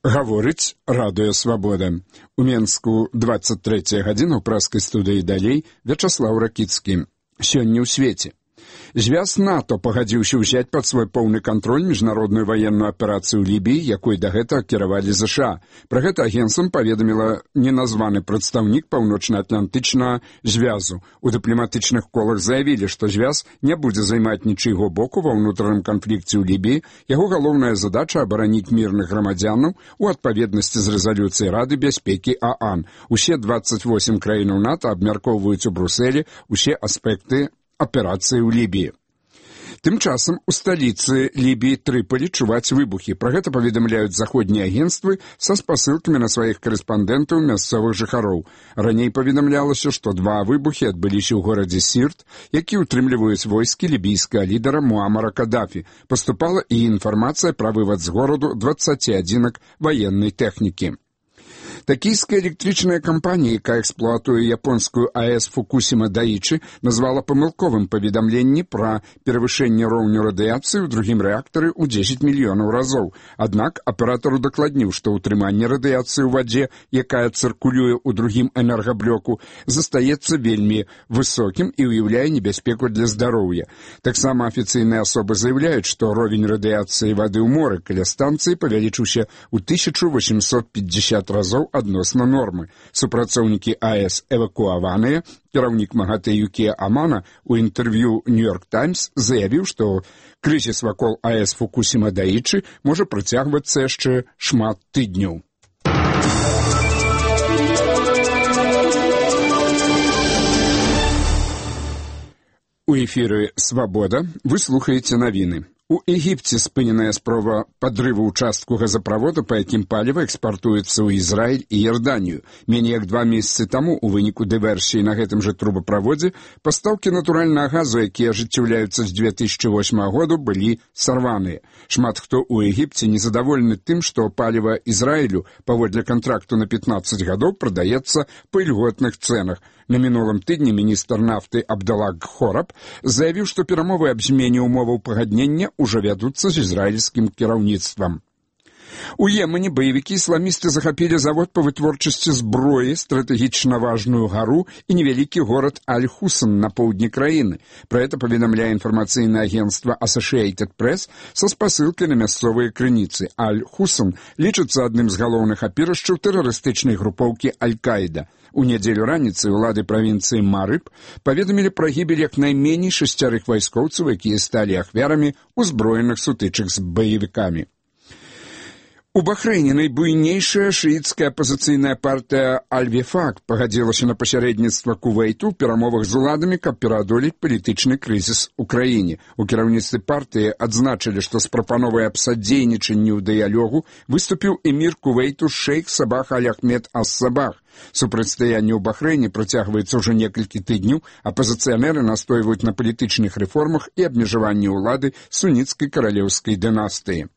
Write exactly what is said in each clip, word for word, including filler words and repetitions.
Гаворыць радыё «Свабода». У Менску двадцать третья гадзіна ў прэскай студыі далей Вячаслаў Ракіцкі. Сёння ў свеце. Звяз НАТО пагадзіўся ўзяць пад свой поўны кантроль міжнародную ваенную аперацыю ў Лібіі, якой дагэтуль кіравалі ЗША. Пра гэта агенцтвам паведаміла неназваны прадстаўнік паўночна-атлантычнага звязу. У дыпламатычных колах заявілі, што звяз не будзе займаць нічыйго боку ва ўнутраным канфлікце ў Лібіі. Яго галоўная задача абараніць мірных грамадзянаў у адпаведнасці з рэзалюцыяй Рады бяспекі ААН. Усе двадцать восемь краінаў НАТО абмяркоўваюць у Брусэлі усе аспекты аперацыі ў Лібіі. Тым часам у сталіцы Лібіі Трыполі чуваць выбухі. Пра гэта паведамляюць заходнія агенцтвы са спасылкамі на сваіх карэспандэнтаў мясцовых жыхароў. Раней паведамлялася, што два выбухі адбыліся ў горадзе Сірт, які ўтрымліваюць войскі лібійскага лідара Муамара Кадафі. Паступала і інфармацыя пра вывад з гораду дваццаці адзінак ваеннай тэхнікі. Токійская электрычная кампанія, якая эксплуатуе японскую АЭС Фукусіма Даічы, назвала памылковым паведамленне пра перавышэнне роўню радыяцыі ў другім рэактары ў дзесяць мільёнаў разоў. Аднак аператар удакладніў, што ўтрыманне радыяцыі ў вадзе, якая цыркулюе ў другім энергаблоку, застаецца вельмі высокім і ўяўляе небяспеку для здароўя. Таксама афіцыйныя асобы заяўляюць, што ровень радыяцыі вады ў моры каля станцыі павялічыўся ў тысячу восемьсот пятьдесят разоў адносна нормы. Супрацоўнікі АЭС эвакуаваныя. Кіраўнік МАГАТЭ Юкія Амана у інтэрв'ю «Нью-Йорк Таймс» заявіў, што крызіс вакол АЭС Фукусіма Даічы можа працягвацца яшчэ шмат тыдняў. У эфіры «Свабода» вы слухаеце навіны. У Егіпце спыненая спроба падрыву ўчастку газаправода, па якім паліва экспартуецца ў Ізраіль і Ярданію. Меней як два месяцы таму у выніку дыверсіі на гэтым жа трубаправодзе пастаўкі натуральнага газу, якія ажыццяўляюцца з две тысячы восьмага году, былі сарваныя. Шмат хто ў Егіпце незадаволены тым, што паліва Ізраілю паводле кантракту на пятнаццаць гадоў прадаецца па ільготных цэнах. На мінулым тыдні міністр нафты Абдалла Хораб заявіў, што перамовы аб змене ўмоваў пагаднення ўжо вядуцца з ізраільскім кіраўніцтвам. У Йемене баевікі ісламісты захапілі завод па вытворчасці зброі, стратэгічна важную гару і невялікі горад Аль-Хусан на поўдні краіны. Пра гэта паведамляе інфармацыйнае агенцтва Associated Press са спасылкай на мясцовыя крыніцы. Аль-Хусан лічыцца адным з галоўных апірышчаў тэрарыстычнай групоўкі Аль-Каіда. У нядзелю раніцай улады правінцыі Марыб паведамілі пра гібель як найменей шасцярых вайскоўцаў, якія сталі ахвярамі ўзброеных сутычак з баевікамі. У Бахрэйне найбуйнейшая шыіцкая апазіцыйная партыя Аль-Вефак пагадзілася на пасярэдніцтва Кувейту ў перамовах з уладамі, каб пераадолець палітычны крызіс у краіне. У кіраўніцтве партыі адзначылі, што з прапановай аб садзейнічанні ў дыялогу выступіў эмір Кувейту шэйх Сабах Аль-Ахмед ас-Сабах. Супрацьстаянне ў Бахрэйне працягваецца ўжо некалькі тыдняў. Апазіцыянеры настойваюць на палітычных рэформах і абмежаванні ўлады суніцкай каралеўскай дынастыі.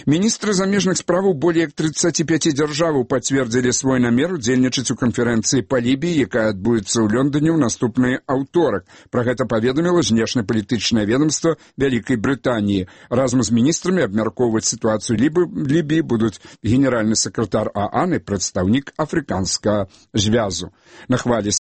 Міністры замежных справаў болей як тридцати пяти дзяржаваў пацвердзілі свой намер удзельнічаць у канферэнцыі па Лібіі, якая адбудзецца ў Лондоне ў наступны аўторак. Пра гэта паведаміла знешнепалітычнае ведомства Вялікай Брытаніі. Разам з міністрамі абмяркоўваць сітуацыю Лібіі будуць генеральны сакратар ААН і прадстаўнік афрыканскага звязу. На хвалі